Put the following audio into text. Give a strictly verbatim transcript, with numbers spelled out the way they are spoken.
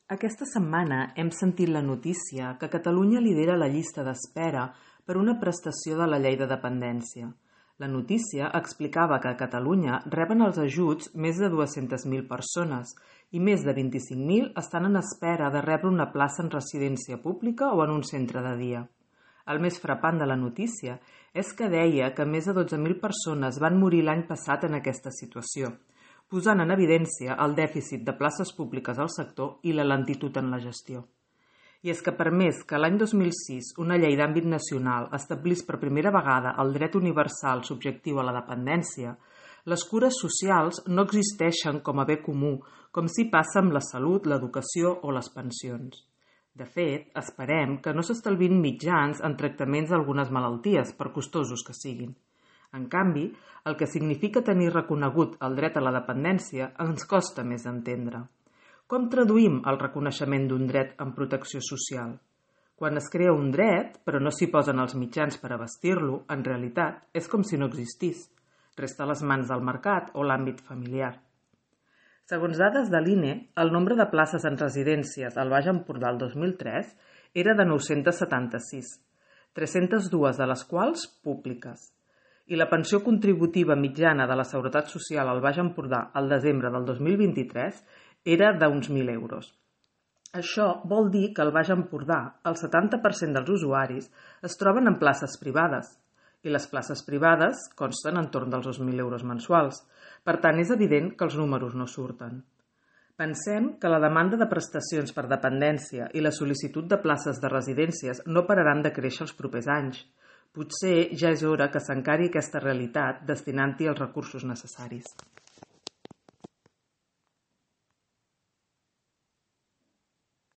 Aquesta setmana hem sentit la notícia que Catalunya lidera la llista d'espera per una prestació de la llei de dependència. La notícia explicava que a Catalunya reben els ajuts més de dues-centes mil persones i més de vint-i-cinc mil estan en espera de rebre una plaça en residència pública o en un centre de dia. El més frapant de la notícia és que deia que més de dotze mil persones van morir l'any passat en aquesta situació, posant en evidència el dèficit de places públiques al sector i la lentitud en la gestió. I és que per més que l'any dos mil sis una llei d'àmbit nacional establís per primera vegada el dret universal subjectiu a la dependència, les cures socials no existeixen com a bé comú, com si passa amb la salut, l'educació o les pensions. De fet, esperem que no s'estalvin mitjans en tractaments d'algunes malalties, per costosos que siguin. En canvi, el que significa tenir reconegut el dret a la dependència ens costa més entendre. Com traduïm el reconeixement d'un dret en protecció social? Quan es crea un dret, però no s'hi posen els mitjans per abastir-lo, en realitat és com si no existís. Resta a les mans del mercat o l'àmbit familiar. Segons dades de l'I N E, el nombre de places en residències al Baix Empordà el dos mil tres era de nou-centes setanta-sis, tres-centes dues de les quals públiques. I la pensió contributiva mitjana de la Seguretat Social al Baix Empordà al desembre del dos mil vint-i-tres era d'uns mil euros. Això vol dir que al Baix Empordà el setanta per cent dels usuaris es troben en places privades, i les places privades consten entorn dels dos mil euros mensuals. Per tant, és evident que els números no surten. Pensem que la demanda de prestacions per dependència i la sol·licitud de places de residències no pararan de créixer els propers anys. Potser ja és hora que s'encari aquesta realitat destinant-hi els recursos necessaris.